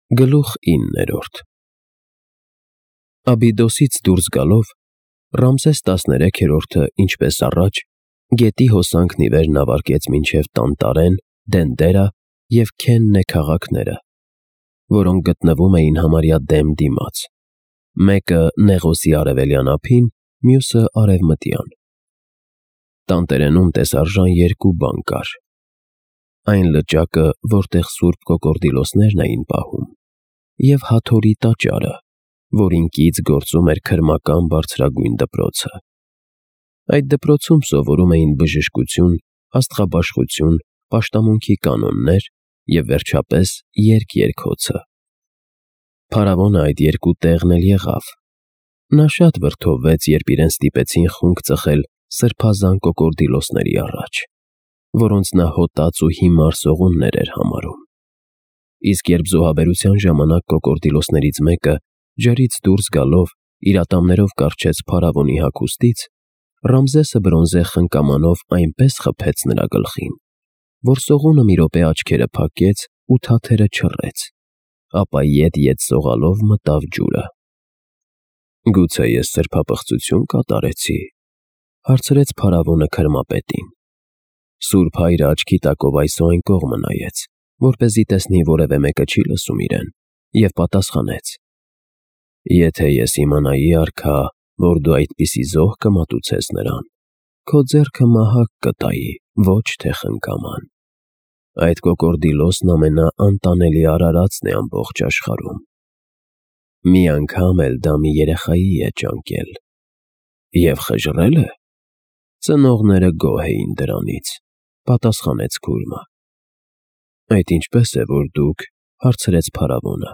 Գլուխ 9 Աբիդոսից դուրս գալով Ռամզես 13-րդը, ինչպես առաջ, գետի հոսանքն ի վեր նավարկեց մինչև Տանտարեն, Դենդերա և Քեննե քաղաքները, որոնք գտնվում էին համարյա դեմ դիմաց, մեկը Նեղոսի արևելյան ափին, մյուսը արևմտյան։ Տանտերենում տեսարժան երկու բան կար. այն լճակը, որտեղ սուրբ կոկորդիլոսներն էին պահում, և Հաթորի տաճարը, որին կից գործում էր քրմական բարձրագույն դպրոցը։ Այդ դպրոցում սովորում էին բժշկություն, աստղաբաշխություն, պաշտամունքի կանոններ և վերջապես երգ-երգոցը։ Փարավոնը այդ երկու տեղն էլ եղավ։ Նա շատ վրդովվեց, երբ իրեն ստիպեցին խունկ ծխել սրբազան կոկորդիլոսների առաջ, որոնց նա հոտած ու հիմար սողուններ էր համարում։ Իսկ երբ զոհաբերության ժամանակ կոկորդիլոսներից մեկը, ջրից դուրս գալով, իր ատամներով կառչեց փարավոնի հագուստից, Ռամզեսը բրոնզե խնկամանով այնպես խփեց նրա գլխին, որ սողունը մի րոպե աչքերը փակեց ու թաթերը չռեց, ապա ետ-ետ սողալով մտավ ջուրը։ «Գուցե ես սրբապղծություն կատարեցի», հարցրեց փարավոնը քրմապետին։ Սուրբ հայրը աչքի տակով այս ու այն կողմը նայեց, որպեսզի տեսնի որևէ մեկը չի լսում իրեն, և պատասխանեց. «Եթե ես իմանայի, արքա, որ դու այդպիսի զոհ կմատուցես նրան, քո ձեռքը մահակ կտայի, ոչ թե խնկաման։ Այդ կոկորդիլոսն ամենաանտանելի արարածն է ամբողջ աշխարհում։ Մի անգամ էլ դա մի երեխայի է ճանկել։ Եվ խժռել է։ Ծնողները գոհ էին դրանից», պատասխանեց քուրմը։ «Այդ ինչպե՞ս է, որ դուք», հարցրեց փարավոնը,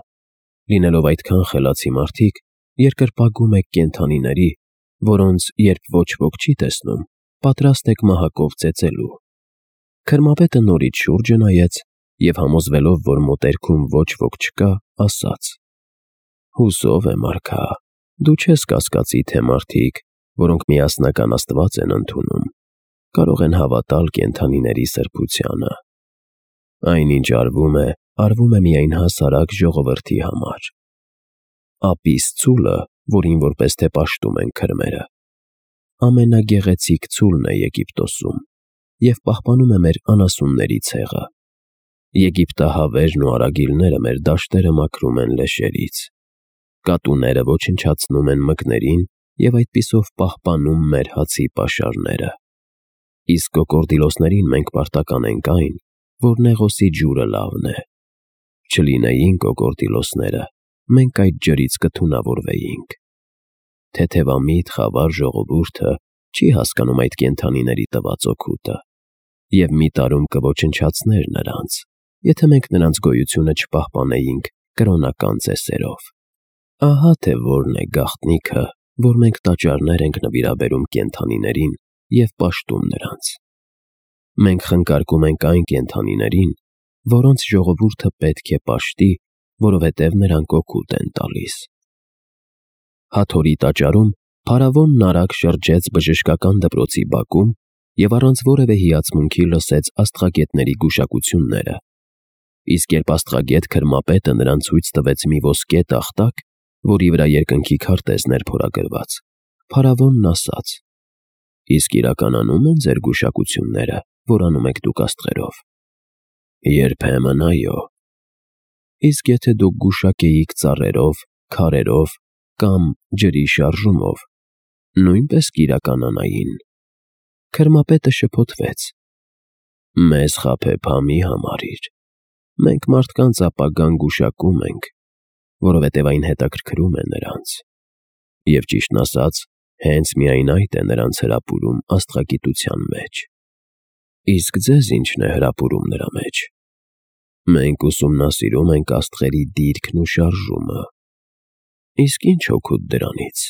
«լինելով այդքան խելացի մարդիկ, երկրպագում եք կենդանիների, որոնց, երբ ոչ ոք չի տեսնում, պատրաստ եք մահակով ծեծելու»։ Քրմապետը նորից շուրջը նայեց և, համոզվելով, որ մոտերքում ոչ ոք չկա, ասաց. «Հուսով եմ, արքա, դու չես կասկածի, թե մարդիկ, որոնք միասնական Աստված են ընդունում, կարող են հավատալ կենդանիների սրբությանը։ Այն, ինչ արվում է միայն հասարակ ժողովրդի համար։ Ապիս ցուլը, որին որպես թե պաշտում են քրմերը, ամենագեղեցիկ ցուլն է Եգիպտոսում և պահպանում է մեր անասունների ցեղը։ Եգիպտահավերն ու արագիլները մեր դաշտերը մաքրում են լեշերից։ Կատուները ոչնչացնում են մկներին և այդպիսով պահպանում մեր հացի պաշարները։ Իսկ կոկորդիլոսներին մենք պարտական ենք այն, որ Նեղոսի ջուրը լավն է։ Չլինեին կոկորդիլոսները, մենք այդ ջրից կթունավորվեինք։ Թեթևամիտ խավար ժողովուրդը չի հասկանում այդ կենդանիների տված օգուտը և մի տարում կոչնչացներ նրանց, եթե մենք նրանց գոյությունը չպահպանեինք կրոնական ծեսերով։ Ահա թե որն է գաղտնիքը, որ մենք տաճարներ ենք նվիրաբերում կենդանիներին և պաշտում նրանց։ Մենք խնկարկում ենք այն կենդանիներին, որոնց ժողովուրդը պետք է պաշտի, որովհետև նրանք օգուտ են տալիս»։ Հաթորի տաճարում փարավոնն արագ շրջեց բժշկական դպրոցի բակում և առանց որևէ հիացմունքի լսեց աստղագետների գուշակությունները։ Իսկ երբ աստղագետ քրմապետը նրան ցույց տվեց մի ոսկե տախտակ, որի վրա երկնքի քարտեզն էր փորագրված, փարավոնն ասաց. «Իսկ իրականանում են ձեր գուշակությունները, որ անում եք դուք աստղերով»։ «Երբեմն այո»։ «Իսկ եթե դուք գուշակեիք ծառերով, քարերով կամ ջրի շարժումով, նույնպես կիրականանային»։ Քրմապետը շփոթվեց. «Մեզ խաբեբա մի համարիր։ Մենք մարդկանց ապագան գուշակում ենք, որովհետև այն հետաքրքրում է նրանց։ Եվ ճիշտն ասած, հենց միայն այդ է նրանց հրապուրում աստղագիտության մեջ։ Իսկ ձեզ ի՞նչն է հրապուրում նրա մեջ։ Մենք ուսումնասիրում ենք աստղերի դիրքն ու շարժումը։ Իսկ ի՞նչ օգուտ դրանից։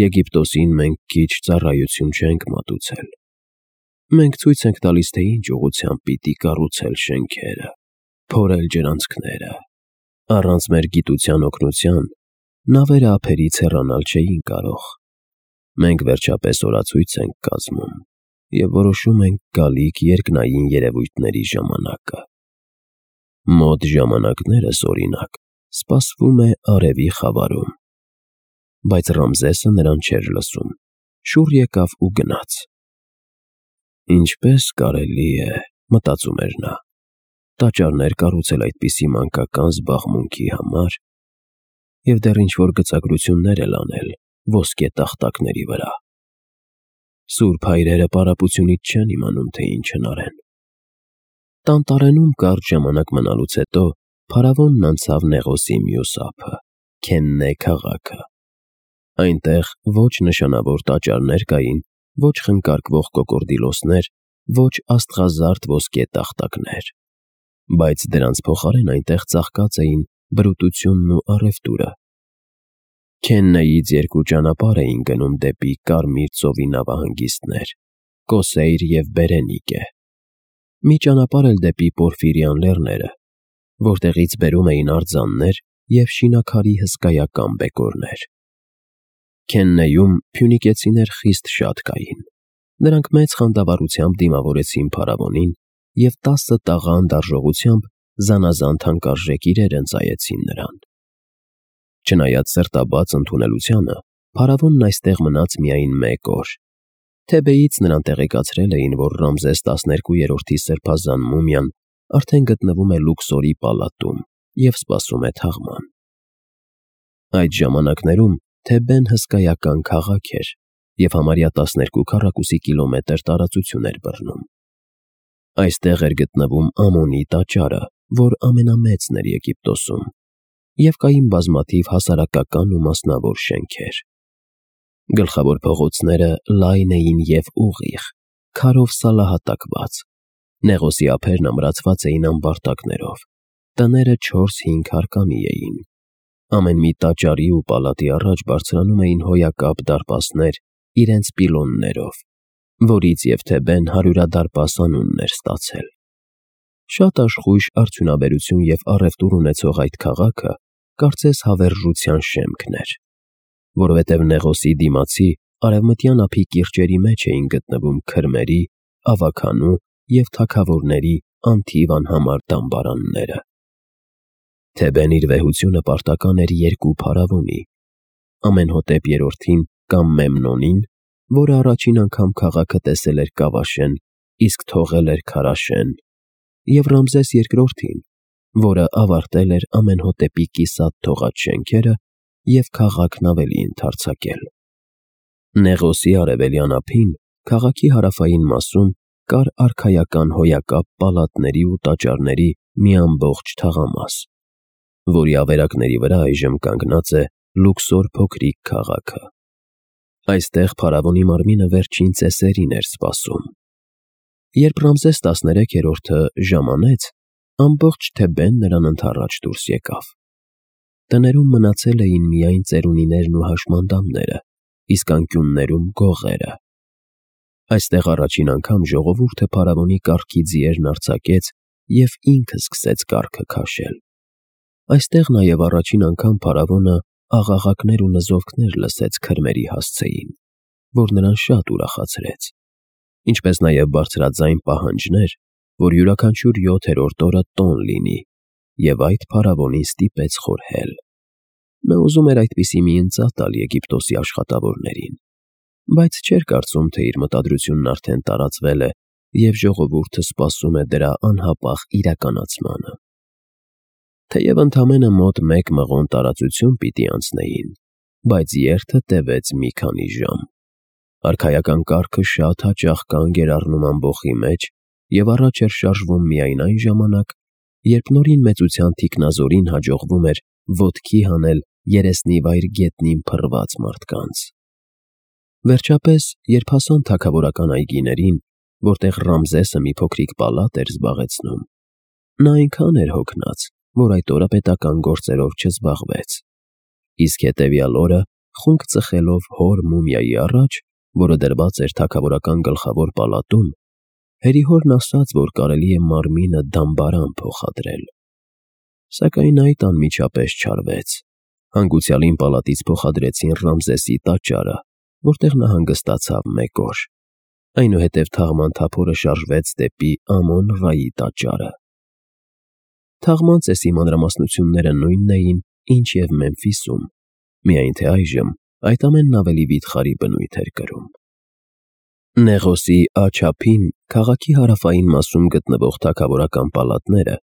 Եգիպտոսին մենք քիչ ծառայություն չենք մատուցել։ Մենք ցույց ենք տալիս, թե ինչ ուղղությամբ պիտի կառուցել շենքերը, փորել ջրանցքները։ Առանց մեր գիտության օգնության նավերը ափերից հեռանալ չէին կարող։ Մենք վերջապես օրացույց ենք կազմում և որոշում ենք գալիք երկնային երևույթների ժամանակը»։ Մոտ ժամանակներս, օրինակ, սպասվում է արևի խավարում։ Բայց Ռամզեսը նրան չէր լսում, շուռ եկավ ու գնաց։ Ինչպես կարելի է, մտածում էր նա, տաճարներ կառուցել այդպիսի մանկական զբաղմունքի համար և դեռ ինչ-որ գծագրություններ էլ անել ոսկե տախտակների վրա։ Սուրբ հայրերը պարապությունից չեն իմանում, թե ինչ հնարեն։ Տանտարենում կարճ ժամանակ մնալուց հետո փարավոնն անցավ Նեղոսի մյուս ափը՝ Քեննե քաղաքը։ Այնտեղ ոչ նշանավոր տաճարներ կային, ոչ խնկարկվող կոկորդիլոսներ, ոչ աստղազարդ ոսկե տախտակներ, բայց դրանց փոխարեն այնտեղ ծաղկած էին բրուտությունն ու առևտուրը։ Քեննեից 2 ճանապարհ էին գնում դեպի Կարմիր ծովի նավահանգիստներ՝ Կոսեյր և Բերենիկե, մի ճանապարհ էլ դեպի Պորֆիրյան լեռները, որտեղից բերում էին արձաններ և շինաքարի հսկայական բեկորներ։ Քեննեում փյունիկեցիներ խիստ շատ կային։ Նրանք մեծ խանդավառությամբ դիմավորեցին փարավոնին և 10 տաղան դարժողությամբ զանազան թանկարժեք իրեր ընծայեցին նրան։ Չնայած սրտաբաց ընդունելությանը, փարավոնն այստեղ մնաց միայն 1 օր։ Թեբեից նրան տեղեկացրել էին, որ Ռամզես 12-րդի սրբազան մումիան արդեն գտնվում է Լուքսորի պալատում և սպասում է թաղման։ Այդ ժամանակներում Թեբեն հսկայական քաղաք էր և համարյա 12 քառակուսի կիլոմետր տարածություն էր բռնում։ Այստեղ էր գտնվում Ամոնի տաճարը, որ ամենամեծն էր Եգիպտոսում, և կային բազմաթիվ հասարակական ու մասնավոր շենքեր։ Գլխավոր փողոցները լայն էին և ուղիղ, քարով սալահատակված։ Նեղոսի ափերն ամրացված էին ամբարտակներով, տները 4-5 հարկանի էին։ Ամեն մի տաճարի ու պալատի առաջ բարձրանում էին հոյակապ դարպասներ իրենց պիլոններով, որից և Թեբեն հարյուրադարպաս անունն էր ստացել։ Շատ աշխույժ արդյունաբերություն և առևտուր ունեցող այդ քաղաքը կարծես հավերժության շեմքն էր, որովհետև Նեղոսի դիմացի արևմտյան ափի կիրճերի մեջ էին գտնվում քրմերի, ավագանու և թագավորների անթիվ անհամար դամբարանները։ Թեբեն իր վեհությունը պարտական էր 2 փարավոնի՝ Ամենհոտեպ III-ին կամ Մեմնոնին, որը առաջին անգամ քաղաքը տեսել էր Կավաշեն, իսկ թողել էր Քարաշեն, և Ռամզես II-ին, որը ավարտել էր Ամենհոտեպի կիսատ թողած շենքերը և քաղաքն ավելի ընդարձակել։ Նեղոսի արևելյան ափին, քաղաքի հարավային մասում, կար արքայական հոյակապ պալատների ու տաճարների մի ամբողջ թաղամաս, որի ավերակների վրա այժմ կանգնած է Լուքսոր փոքրիկ քաղաքը։ Այստեղ փարավոնի մարմինը վերջին ծեսերին էր սպասում։ Երբ Ռամզես 13-րդը ժամանեց, ամբողջ Թեբեն նրան ընդառաջ դուրս եկավ։ Տներում մնացել էին միայն ծերունիներն ու հաշմանդամները, իսկ անկյուններում գողերը։ Այստեղ առաջին անգամ ժողովուրդը փարավոնի կառքի ձիերն արձակեց և ինքը սկսեց կառքը քաշել։ Այստեղ նաև առաջին անգամ փարավոնը աղաղակներ ու նզովքներ լսեց քրմերի հասցեին, որ նրան շատ ուրախացրեց, ինչպես նաև բարձրաձայն պահանջներ, որ յուրաքանչյուր 7-րդ օրը տոն լինի, և այդ փարավոնին ստիպեց խորհել։ Նա ուզում էր այդպիսի մի ընծա տալ Եգիպտոսի աշխատավորներին, բայց չէր կարծում, թե իր մտադրությունն արդեն տարածվել է և ժողովուրդը սպասում է դրա անհապաղ իրականացմանը։ Թեև ընդամենը մոտ 1 մղոն տարածություն պիտի անցնեին, բայց երթը տևեց մի քանի ժամ։ Արքայական կառքը շատ հաճախ կանգ էր առնում ամբոխի մեջ և առաջ էր շարժվում միայն այն ժամանակ, երբ նորին մեծության թիկնազորին հաջողվում էր ոտքի հանել երեսնիվայր գետնին փռված մարդկանց։ Վերջապես, երբ հասան թագավորական այգիներին, որտեղ Ռամզեսը մի փոքրիկ պալատ էր զբաղեցնում, նա այնքան էր հոգնած, որ այդ օրը պետական գործերով չզբաղվեց, իսկ հետևյալ օրը, խունկ ծխելով հոր մումիայի առաջ, որը դրված էր թագավորական գլխավոր պալատում, հերիհորն ասաց, որ կարելի է մարմինը դամբարան փոխադրել։ Սակայն այդ անմիջապես չարվեց։ Հանգուցյալին պալատից փոխադրեցին Ռամզեսի տաճարը, որտեղ նա հանգստացավ 1 օր։ Այնուհետև թաղման թափորը շարժվեց դեպի Ամոն-Ռայի տաճարը։ Թաղման ծեսի մանրամասնությունները նույնն էին, ինչ և Մեմֆիսում, միայն թե այժմ այդ ամենն ավելի վիթխարի բնույթ էր կրում։ Նեղոսի աջափին քաղաքի հարավային մասում գտնվող թագավորական պալատները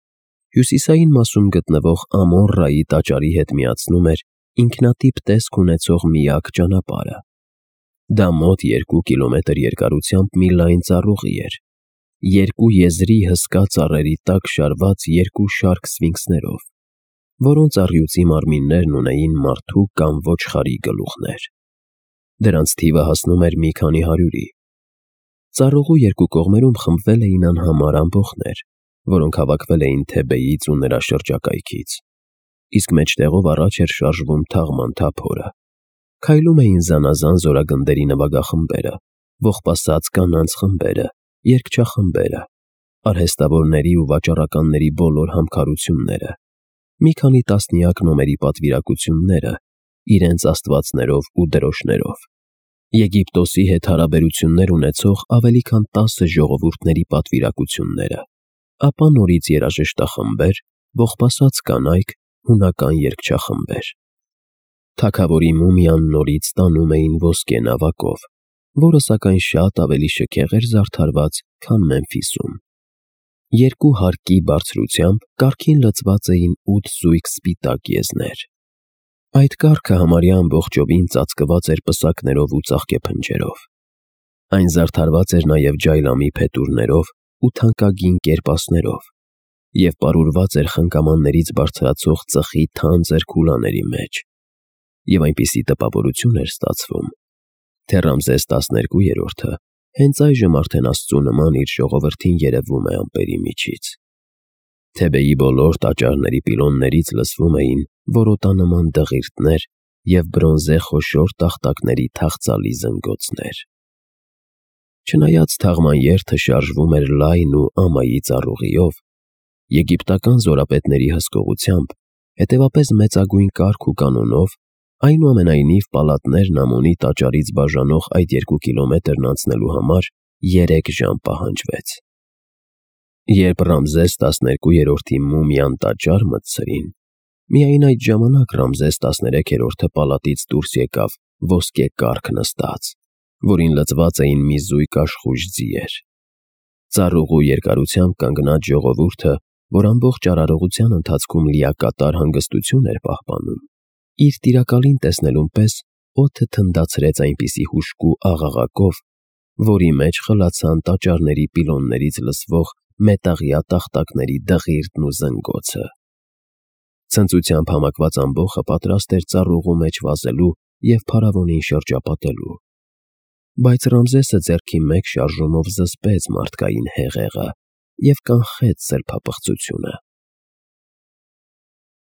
հյուսիսային մասում գտնվող Ամոռայի տաճարի հետ միացնում էր ինքնատիպ տեսք ունեցող միակ ճանապարհը։ Դա մոտ 2 կիլոմետր երկարությամբ մի լայն ծառուղի էր, երկու եզրի հսկա ծառերի տակ շարված երկու շարք սֆինքսներով, որոնց առյուծի մարմիններն ունեին մարդու կամ ոչխարի գլուխներ։ Դրանց թիվը հասնում էր մի քանի հարյուրի։ Ծառուղու երկու կողմերում խմբվել էին անհամար ամբոխներ, որոնք հավաքվել էին Թեբեից ու նրա շրջակայքից, իսկ մեջտեղով առաջ էր շարժվում թաղման թափորը։ Քայլում էին զանազան զորագնդերի նվագախմբերը, ողբասած կանանց խմբերը, երգչախմբերը, արհեստավորների ու վաճառականների բոլոր համքարությունները, մի քանի տասնյակ նոմերի պատվիրակությունները, իրենց աստվածներով ու դրոշներով, Եգիպտոսի հետ հարաբերություններ ունեցող ավելի քան 10 ժողովուրդների պատվիրակությունները, ապա նորից երաժշտախմբեր, ողբասած կանայք, հունական երգչախմբեր։ Թագավորի մումիան նորից տանում էին ոսկե նավակով, որը սակայն շատ ավելի շքեղ էր զարդարված, քան Մեմֆիսում։ Երկու հարկի բարձրությամբ կառքին լցված էին 8 զույգ սպիտակ եզներ։ Այդ կառքը համարյա ամբողջովին ծածկված էր պսակներով ու ծաղկեփնջերով։ Այն զարդարված էր նաև ջայլամի փետուրներով ու թանկագին կերպասներով և պարուրված էր խնկամաններից բարձրացող ծխի թանձր քուլաների մեջ, և այնպիսի տպավորություն էր ստացվում, թե Ռամզես 12-րդը հենց այժմ արդեն Աստծու նման իր ժողովրդին երևում է ամպերի միջից։ Թեբեի բոլոր տաճարների պիլոններից լսվում էին որոտանման դղիրդներ և բրոնզե խոշոր տախտակների թախծալի զնգոցներ։ Չնայած թաղման երթը շարժվում էր լայն ու ամայի ծառուղիով, եգիպտական զորապետների հսկողությամբ, հետևապես մեծագույն կարգ ու կանոնով, այնուամենայնիվ պալատներն Ամոնի տաճարից բաժանող այդ 2 կիլոմետրն անցնելու համար 3 ժամ պահանջվեց։ Երբ Ռամզես 12-րդի մումիան տաճար մտցրին, միայն այդ ժամանակ Ռամզես 13-րդը պալատից դուրս եկավ ոսկե կառք նստած, որին լցված էին մի զույգ աշխույժ ձիեր։ Ծառուղու երկարությամբ կանգնած ժողովուրդը, որ ամբողջ արարողության ընթացքում լիակատար հանգստություն էր պահպանում, իր տիրակալին տեսնելուն պես օդը թնդացրեց այնպիսի հուժկու աղաղակով, որի մեջ խլացան տաճարների պիլոններից լսվող մետաղյա տախտակների դղիրդն ու զնգոցը։ Ցնծությամբ համակված ամբոխը պատրաստ էր ծառուղու մեջ վազելու և փարավոնին շրջապատելու, բայց Ռամզեսը ձեռքի մեկ շարժումով զսպեց մարդկային հեղեղը և կանխեց սրբապղծությունը։